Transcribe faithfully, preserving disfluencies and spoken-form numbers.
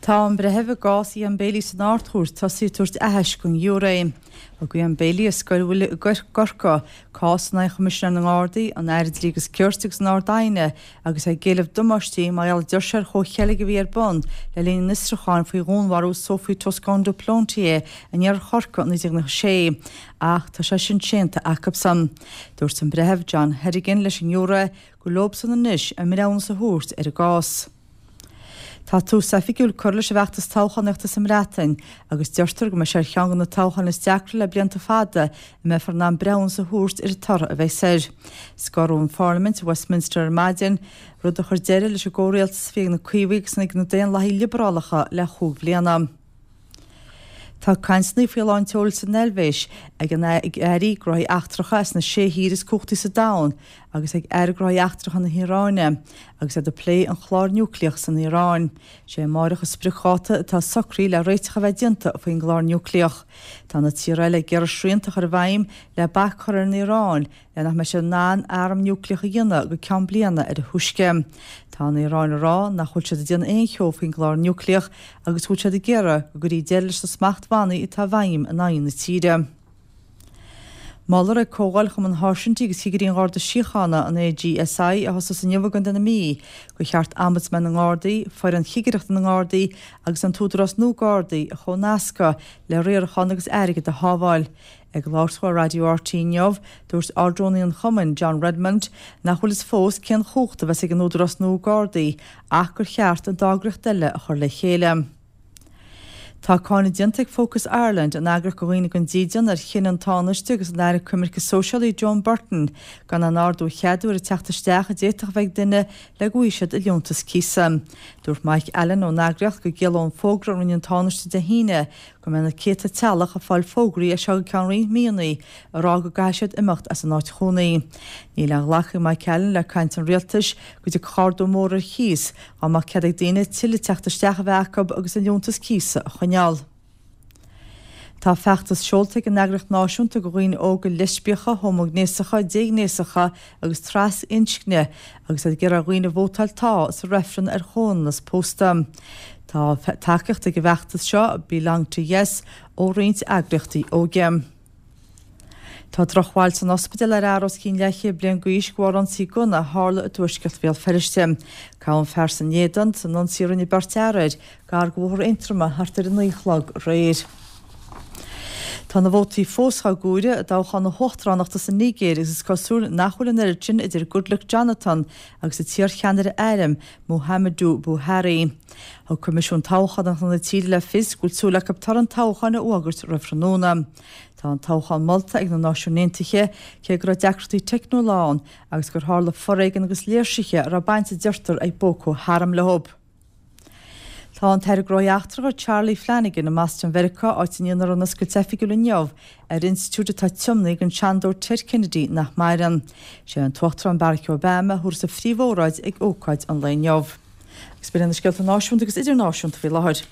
Tá an breitheamh i gcás Ian Bailey san Ard-Chúirt tosaithe ag tabhairt aithisc don ghiúiré. Thug Ian Bailey as Scoil Mhuire i gCorcaigh cás in aghaidh Choimisinéir na nGardaí, an Aire Dlí agus Cirt agus an Ard-Aighne agus é ag éileamh damáistí mar gheall deir sé ar chomhcheilg a bhí ar bun le linn an fhiosrúcháin faoi dhúnmharú Sophie Toscan du Plantier in iarthar Chorcaí i naoi déag nócha sé, ach tá sé sin séanta acusan. Dúirt an breitheamh John Hedigan leis an ngiúiré gur leobsan anois a mbreithiúnas a thabhairt ar an gcás. Tá tús oifigiúil curtha leis an bhfeachtas toghchánaíochta sa mBreatain agus deirtear go mbeidh sé ar cheann de na toghcháin is deacra le blianta fada a mbeifear in ann breithiúnas a thabhairt ar an toradh a bheas air. Scoradh an Pharlaimint i Westminster ar maidin, rud a chuir deireadh leis an gcomhrialtas a bhí ag na Caomhaigh agus ag na Daonlathaigh Liobrálacha le chúig bhliana. Tá cainteanna faoi lán tseoil san Eilvéis ag an airí gnóthaí eachtracha as na sé thír is cumhachtaí sa domhan agus ag aire gnóthaí eachtracha na hIaráine agus iad ag plé an chlár núicléach san Iaráin. Sé amárach an spriocdháta atá socraithe le réiteach a bheith déanta faoin gclár núicléach. Tá na tíortha eile ag iarraidh srianta a chur i bhfeidhm le bac a chur ar an Iaráin le nach mbeidh siad in ann arm núicléach a dhéanamh go ceann bliana ar a thúisce. Tá an Iaráin ag rá nach bhfuil siad ag déanamh aon cheo faoin gclár núicléach agus go bhfuil siad ag iarraidh go gcuirfí deireadh leis na smachtbhannaí atá i bhfeidhm in aghaidh na tíre. Molfar ag Comhdháil Chumann Sháirsintí agus Chigirí an Gharda Síochána, an AGSI, a thosós inniu i gContae na Mí, gur cheart Ombudsman na nGardaí, foireann chigireachta na nGardaí agus an tÚdarás nua Gardaí a chomhnascadh le riarachán agus airgead a shábháil. Ag labhairt dó ar Raidió RTÉ inniu, dúirt Ard-Rúnaí an Chumainn, John Redmond, nach bhfuil fhios fós cén chumhacht a bheas ag an Údarás nua Gardaí ach gur cheart an dá eagraíocht eile a chur le chéile. Tá cáineadh déanta ag Focus Ireland, an eagraíocht do dhaoine gan dídean, ar chinneadh an Tánaiste agus an Aire Coimirce Sóisialaí Joan Burton gan aon ardú a cheadú ar an teacht isteach a d'fhéadfadh a bheith ag duine le go bhfaighidh siad a liúntas cíosa. Dúirt Mike Allen ón eagraíocht go gciallódh an fógra a rinne an Tánaiste Dé hAoine go mbeidh na céadta teaghlach ag fáil fógraí as seo go ceann roinnt míonna ag rá go gcaithfidh siad imeacht as an áit chónaí. Níl aon ghlacadh ag Mike Allen le caint an rialtais go dtiocfadh ardú mór ar chíos dá mbeadh cead ag daoine tuilleadh teacht isteach a bheith acu agus an liúntas cíosa a choinneáil. Tá feachtas seolta ag an eagraíocht náisiúnta do dhaoine óga leispiacha, homaighnéasacha, déghnéasacha agus trasinscne agus iad ag iarraidh ar dhaoine vótáil tá sa reifreann ar chomhionannas pósta. Tá tacaíocht ag an bhfeachtas seo Belong to Yes ó roinnt eagraíochtaí óige. Tá drochbhail san ospidéal ar fhear os cionn leathchéad bliain d'aois de bharr ionsaí gunna a tharla i dtuaisceart Bhéal Feirste. Gabhadh an fear san éadan san ionsaí a rinne beirt fhear air gar do Bhóthar Aontroma thart ar a naoi a chlog aréir. Tá na vótaí fós á gcomhaireamh i dtoghchán na huachtaránachta sa Nigéir agus is cosúil nach bhfuil an oiread sin idir Goodluck Jonathan agus an t-iarcheannaire airm Muhammadu Buhari. Thug Coimisiún Toghchánach na tíre le fios go bhfuil súil acu toradh an toghcháin a fhógairt roimh thráthnóna. Tá an toghchán molta ag na Náisiúin Aontaithe cé go raibh deacrachtaí teicniúla ann agus gur tharla foréigean agus léirsithe a raibh baint a deirtear ag Boko Haram leo. Tá an tAire Gnóthaí Eachtracha Charlie Flanagan i mBoston Mheiriceá áit a ndéanfar an oscailt oifigiúil inniu ar institiúid atá tiomnaithe don seanadóir Ted Kennedy nach maireann. Sé an tUachtarán Barack Obama a thabharfas an phríomhóráid ag ócáid an lae inniu. Agus b'in na scéalta náisiúnta agus idirnáisiúnta faoi láthair.